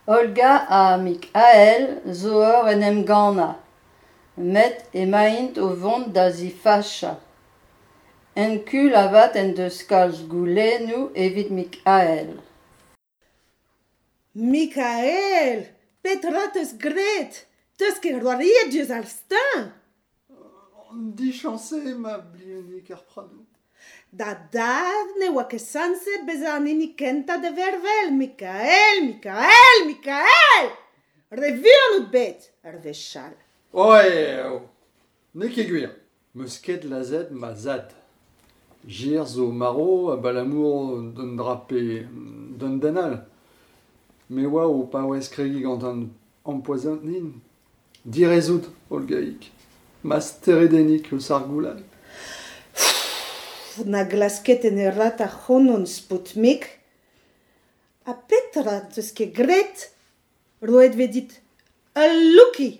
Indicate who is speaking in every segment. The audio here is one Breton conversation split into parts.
Speaker 1: Olga ha Mickael zo oc'h en em gannañ met emaint o vont da zifachañ. Hercule avat en deus kalz goulennoù evit Mickael.
Speaker 2: Mickael, petra 'teus graet ? 'Teus ket c'hoariet diouzh ar steuñv ?
Speaker 3: Dichañs eo ma Bleuniennig ar Pradoù.
Speaker 2: Da dad ne oa ket sañset bezañ an hini kentañ da vervel, Mickael, Mickael, Mickael ! Re vuan out bet ur wech all.
Speaker 3: Oh, n'eo ket gwir, 'meus ket lazhet ma zad. Gwir zo marv abalamour d'un dra pe d'un den all. Me 'oa o paouez kregiñ gant an ampoezoniñ. Direzout, Olgaig, ma steredennig eus ar gouloù.
Speaker 2: Na glask ket tenerraat ac'hanon, Spoutnik. Ha petra 'teus ket graet ? Roet 'vez dit ul lucky.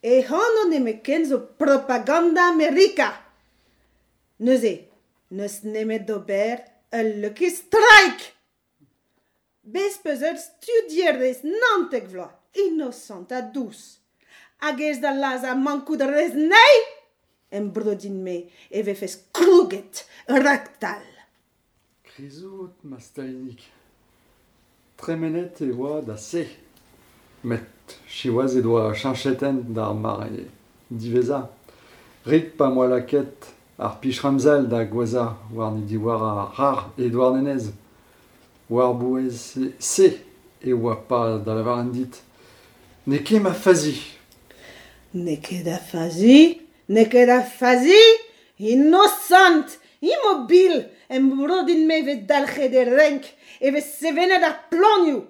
Speaker 2: E anv nemetken zo propaganda Amerika. Neuze n'eus nemet d'ober ul lucky strike. Bez 'peus ur studierez 19 vloaz, inosant ha dous. Hag ez da lazhañ mankout a rez anezhi ? Embro din-me e vefes krouget raktal.
Speaker 3: Kriz out, ma Stalinig. Tremenet e oa da se. Met siwazh he doa cheñchet hent d'ar mare diwezhañ. Rik pa 'm boa lakaet ar pich ramzel da gouezhañ warni diwar ar c'harr e Douarnenez. War-bouez se e oa pa da lavaret dit n'eo ket ma fazi.
Speaker 2: N'eo ket da fazi, n'eo ket da fazi, inosant, imobil, embro din-me e vez dalc'het e renk, e vez sevenet ar planioù.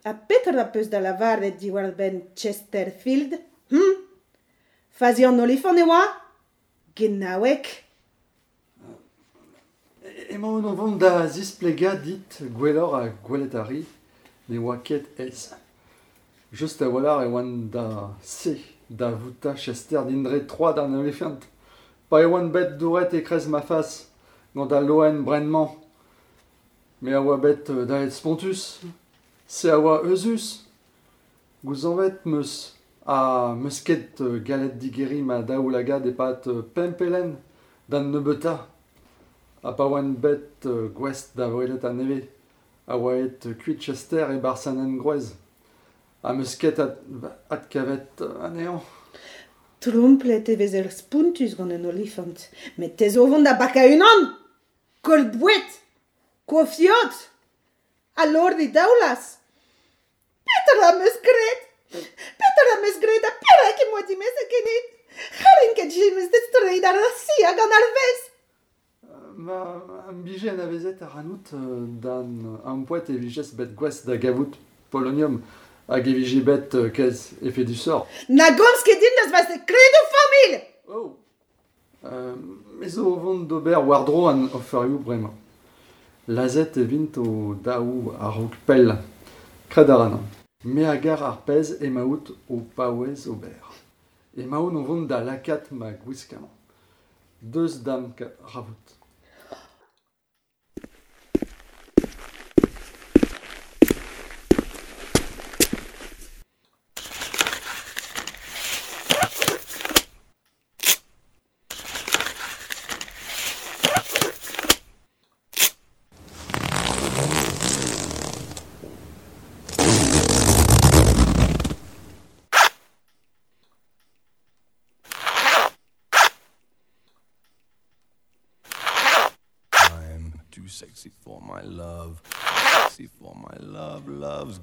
Speaker 2: Ha petra 'peus da lavaret diwar-benn Chesterfield, hum ? Fazi an olifant e oa ? Genaoueg !
Speaker 3: Emaon o vont da zisplegañ dit gwelloc'h ha gwelet a ri ne oa ket aes. Just a-walc'h e oan da se da voutañ Chester dindan troad an olifant pa e oan bet douret e-kreiz ma fas gant al loen brenn-mañ. Me a oa bet daet spontus, se a oa euzhus. Gouzañvet 'm eus ha 'm eus ket gallet digeriñ ma daoulagad e-pad pemp pelenn d'an nebeutañ. Ha pa oan bet gouest da welet anezhe a oa aet kuit Chester e-barzh an engroez. Ha 'm eus ket adkavet anezhañ.
Speaker 2: Tromplet e vezer spontus gant un olifant, met te zo o vont da bakañ unan ! Koll boued ! Kof yod ! Ha lor didaoulaz ! Petra am eus graet ? Petra am eus graet ha perak em boa dimezet ganit ? C'hallin ket james distreiñ da Rusia gant ar vezh !
Speaker 3: Ma am bije anavezet ac'hanout d'an ampoent e vijes bet gouest da gavout polonium hag e vije bet kalz efedusoc'h.
Speaker 2: Na gomz ket din eus va sekredoù familh !
Speaker 3: Oh ! Me zo o vont d'ober war-dro an oferioù bremañ. Lazhet e vint o-daou a-raok pell. Kred a ran. Me a gar ar pezh emaout o paouez ober. Emaon o vont da lakaat ma gwiskamant. Deus da'm kavout.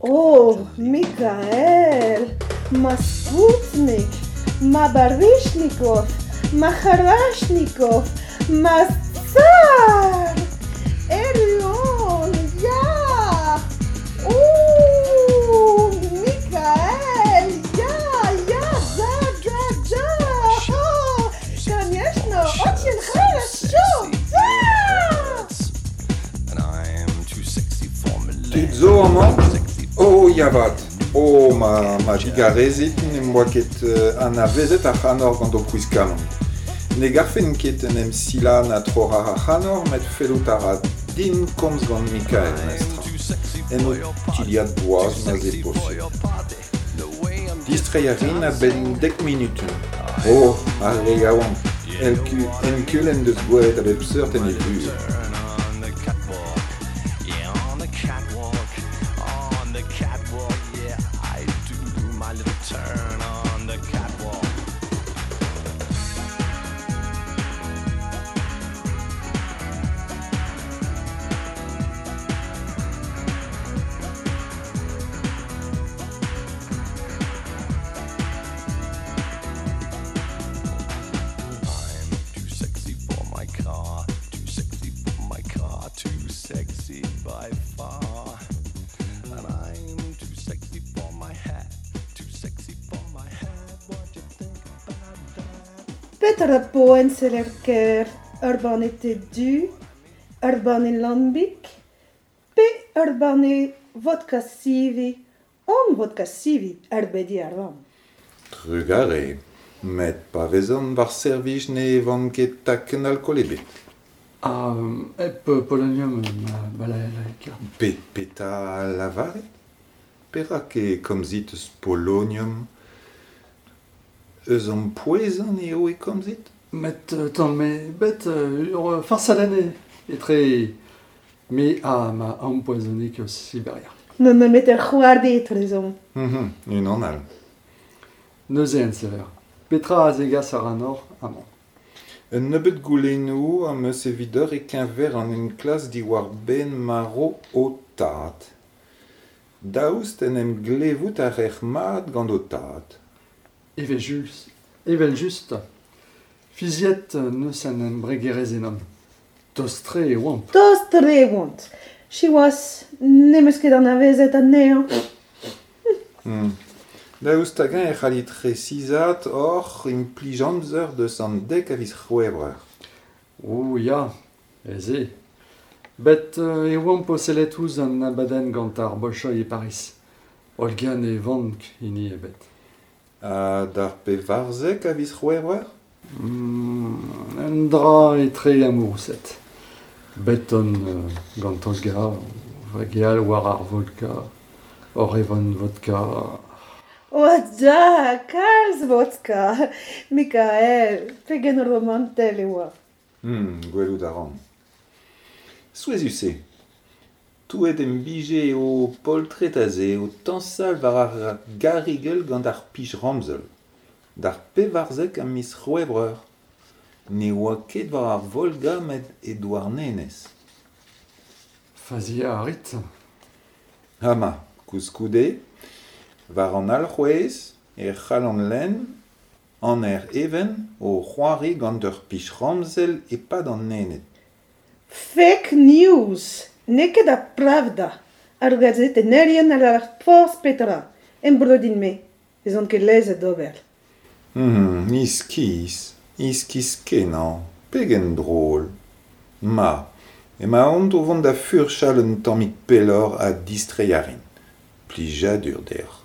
Speaker 2: Oh, Mickael, ma Spoutnik, ma Baryshnikov, ma C'harachnikov, ma Tsar! Erru on, ya! Oh, Mickael, ya, ya, da, da, da! Oh, конечно, очень хорошо, да!
Speaker 4: Tud zo amañ ? Oh ya 'vat ! Oh ma ma digarezit n'em boa ket anavezet ac'hanoc'h gant ho kwiskamant. Ne garfen ket en em silañ na troc'hañ ac'hanoc'h met fellout a ra din komz gant Mickael, mestra. en ho tiliad boaz ma'z eo posupl. Distreiñ a rin a-benn dek munutenn. Oh, ar re yaouank, enkul en deus gwelet a bep seurt en e vuhez.
Speaker 2: Petra po enseller ker ur banne te du, ur banne lambik, pe ur banne vodka sivi, on vodka sivi ar bedi ar vamm.
Speaker 4: Trugarez, met pa vezan war servij ne evan ket takenn alkool ebet.
Speaker 3: Ha hep polonium ma balalaika.
Speaker 4: Petra lavaret? Perak e komzit eus polonium? Eus an pouezañ eo e komzit?
Speaker 3: Met tamm me bet ur farsadenn etre me ha ma ampoezonik eus Siberia.
Speaker 2: N'on met ur c'hoardi etrezomp.
Speaker 4: Unan all.
Speaker 3: Neuze enseller. Petra a zegas ar anor amañ?
Speaker 4: Un nebeud goulennoù am eus evidoc'h e-keñver an enklask diwar-benn marv ho tad. Daoust en em glevout a raec'h mat gant ho tad?
Speaker 3: Evel-just. Fiziet n'eus an embregerezh ennon. Tost-tre e oamp.
Speaker 2: Tost-tre e oant. Siwazh, n'em eus ket anavezet anezhañ.
Speaker 4: Daoust hag-eñ e c'hallit resisaat hoc'h implij amzer deus an dek a viz C'hwevrer?
Speaker 3: Oh ya, aes eo. Bet e oamp o sellet ouzh an abadenn gant ar Bolchoï e Pariz. Olga ne vank hini ebet.
Speaker 4: Ha d'ar pevarzek a viz C'hwevrer?
Speaker 3: Un dra etre amouroused. Bet on gant Olga, o vageal war ar vodka, oc'h evan vodka.
Speaker 2: O da, kalz vodka! Mikael, pegen romantel e oa.
Speaker 4: Gwelout a ran. Souezhus eo. Touet em bije eo poltred aze o tañsal war ar garigell gant ar pich ramzel. D'ar pevarzek a miz C'hwevrer. Ne oa ket war ar Volga met e Douarnenez.
Speaker 3: Faziañ a rit.
Speaker 4: Hama, koulskoude, war an alc'hwez e c'hallan lenn an aer even o c'hoari gant ur pich ramzel e-pad an Ened.
Speaker 2: Fake news! N'eo ket ar Pravda. Ar gazetennerien a lavar forzh petra. Embrodin-me. Ez on ket lezet d'ober.
Speaker 4: Iskis, iskis-kenañ, pegen drol. Ma, emaon o vont da furchal un tammig pelloc'h ha distreiñ a rin. Plijadur deoc'h.